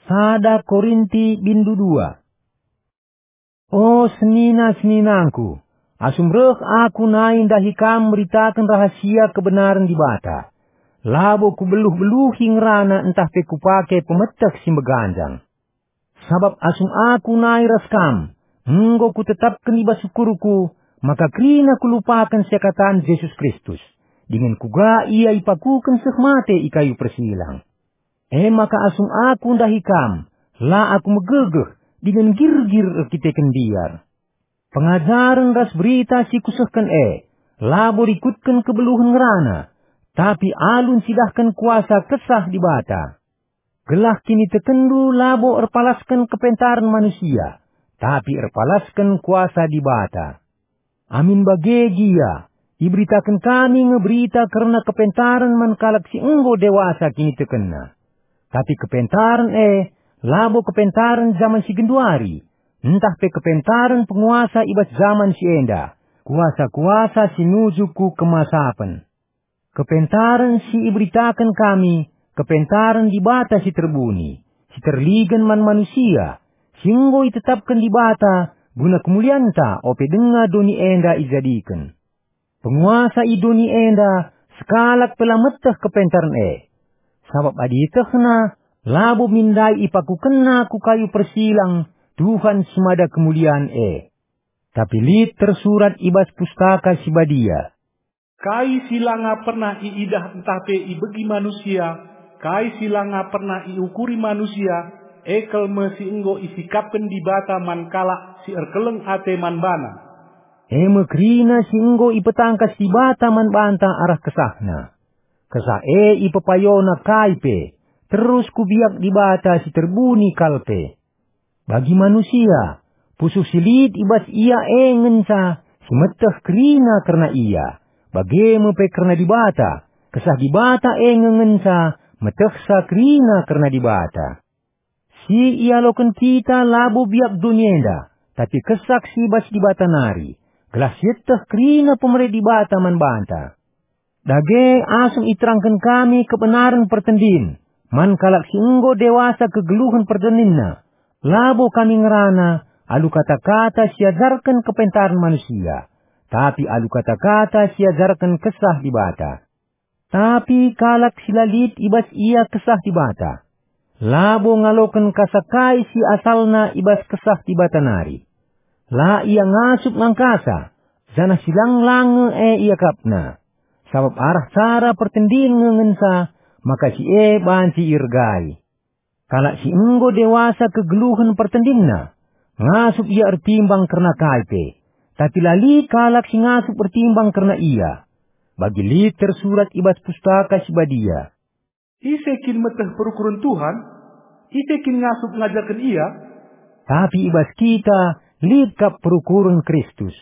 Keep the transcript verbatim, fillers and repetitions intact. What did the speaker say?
Sada Korinti bindu dua. O senina-seninangku, asum reh aku nai ndahi kam meritaken rahasia kebenaren Dibata, labo kubeluh-beluhi ngerana ntah pe kupake pemeteh si meganjang. Sabap asum aku nai ras kam, enggo kutetapken i bas ukurku maka kerina kulupaken seakatan Jesus Kristus, dingen kuga ia ipakuken seh mate i kayu persilang. E maka asum aku ndahi kam, la aku megegeh dingen girgir erkiteken mbiar. Pengajaren ras berita si kusehken e, labo rikutken kebeluhen ngerana, tapi alu ncidahken kuasa Kesah Dibata. Gelah kinitekenndu labo erpalasken kepentaren manusia, tapi erpalasken kuasa Dibata. Amin bage gia, iberitaken kami nge berita kerna kepentaren man kalak si enggo dewasa kinitekenna. Tapi kepentaren e labo kepentaren jaman si genduari, ntah pe kepentaren penguasa i bas jaman si enda, kuasa-kuasa si nuju ku kemasapen. Kepentaren si iberitaken kami, kepentaren Dibata si terbuni, si terligen man manusia, si enggo itetapken Dibata guna kemulianta ope denga doni enda ijadiken. Penguasa i doni enda sekalak pe la meteh kepentaren e. Sabap adi ietehna, labo min ndai ipakukenna ku kayu persilang Tuhan si mada kemulian e. Tapi lit tersurat i bas Pustaka Si Badia, "Kai si langa pernah iidah ntah pe ibegi manusia, kai si langa pernah iukuri manusia, e kal me si enggo isikapken Dibata man kalak si erkeleng ate man baNa." E me kerina si enggo ipetangkas Dibata man banta arah KesahNa. Kesah e ipepayona kai pe, terus ku biak Dibata si terbuni kal pe. Bagi manusia, pusuh si lit i bas ia e ngenca si meteh kerina kerna ia, bage me pe kerna Dibata, Kesah Dibata e nge ngenca metehsa kerina kerna Dibata. Si ialoken kita labo biak doni enda, tapi Kesah si i bas Dibata nari, gelah sieteh kerina pemere Dibata man banta. Dage asum iterangken kami kebenaren pertendin man kalak si enggo dewasa kegeluhen pertendinna, labo kami ngerana alu kata-kata si ajarken kepentaren manusia, tapi alu kata-kata si ajarken Kesah Dibata. Tapi kalak si la lit i bas ia Kesah Dibata, labo ngaloken kasa kai si asalna i bas Kesah Dibata nari. La ia ngasup ngangkasa, janah si lang-lang nge e iakapna. Sabap arah cara pertendin nge ngenca maka si e banci iergai. Kalak si enggo dewasa kegeluhen pertendinna, ngasup ia ertimbang kerna kai pe, tapi la lit kalak si ngasup ertimbang kerna ia. Bagi lit tersurat i bas Pustaka Si Badia, "Ise kin meteh perukuren Tuhan? Ise kin ngasup ngajarken Ia?" Tapi i bas kita lit kap perukuren Kristus.